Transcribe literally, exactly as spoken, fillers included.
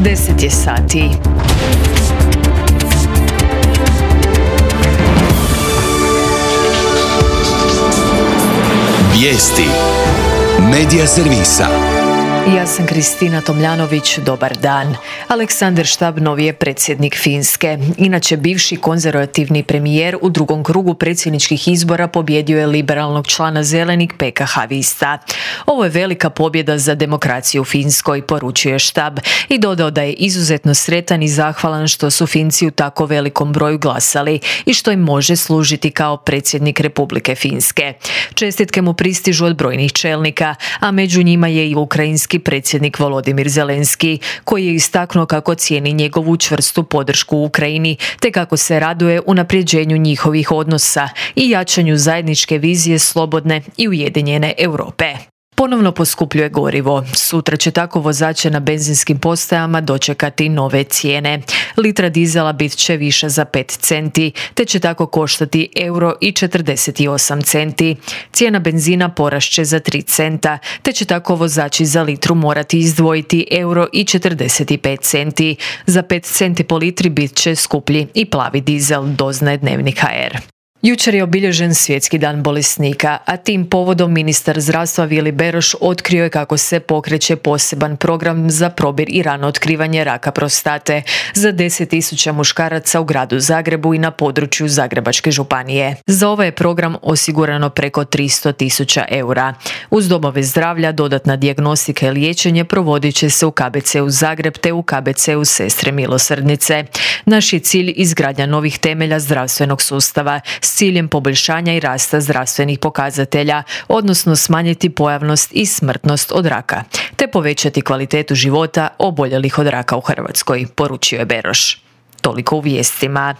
deset je sati. Vijesti Medija servisa. Ja sam Kristina Tomljanović, dobar dan. Aleksandar Štab novi je predsjednik Finske. Inače, bivši konzervativni premijer u drugom krugu predsjedničkih izbora pobjedio je liberalnog člana Zelenih P K H Vista. Ovo je velika pobjeda za demokraciju u Finskoj, poručuje Štab i dodao da je izuzetno sretan i zahvalan što su Finci u tako velikom broju glasali i što im može služiti kao predsjednik Republike Finske. Čestitke mu pristižu od brojnih čelnika, a među njima je i ukrajinski predsjednik Volodimir Zelenski, koji je istaknuo kako cijeni njegovu čvrstu podršku u Ukrajini, te kako se raduje unapređenju njihovih odnosa i jačanju zajedničke vizije slobodne i ujedinjene Europe. Ponovno poskupljuje gorivo. Sutra će tako vozače na benzinskim postajama dočekati nove cijene. Litra dizela bit će više za pet centi, te će tako koštati euro i četrdeset osam centi. Cijena benzina porašće za tri centa, te će tako vozači za litru morati izdvojiti euro i četrdeset pet centi. Za pet centi po litri bit će skuplji i plavi dizel, doznaje Dnevnik ha er. Jučer je obilježen Svjetski dan bolesnika, a tim povodom ministar zdravstva Vili Beroš otkrio je kako se pokreće poseban program za probir i rano otkrivanje raka prostate za deset tisuća muškaraca u gradu Zagrebu i na području Zagrebačke županije. Za ovaj je program osigurano preko tristo tisuća eura. Uz domove zdravlja dodatna dijagnostika i liječenje provodit će se u K B C u Zagreb te u K B C u Sestre milosrdnice. Naš je cilj izgradnja novih temelja zdravstvenog sustava s ciljem poboljšanja i rasta zdravstvenih pokazatelja, odnosno smanjiti pojavnost i smrtnost od raka, te povećati kvalitetu života oboljelih od raka u Hrvatskoj, poručio je Beroš. Toliko u vijestima.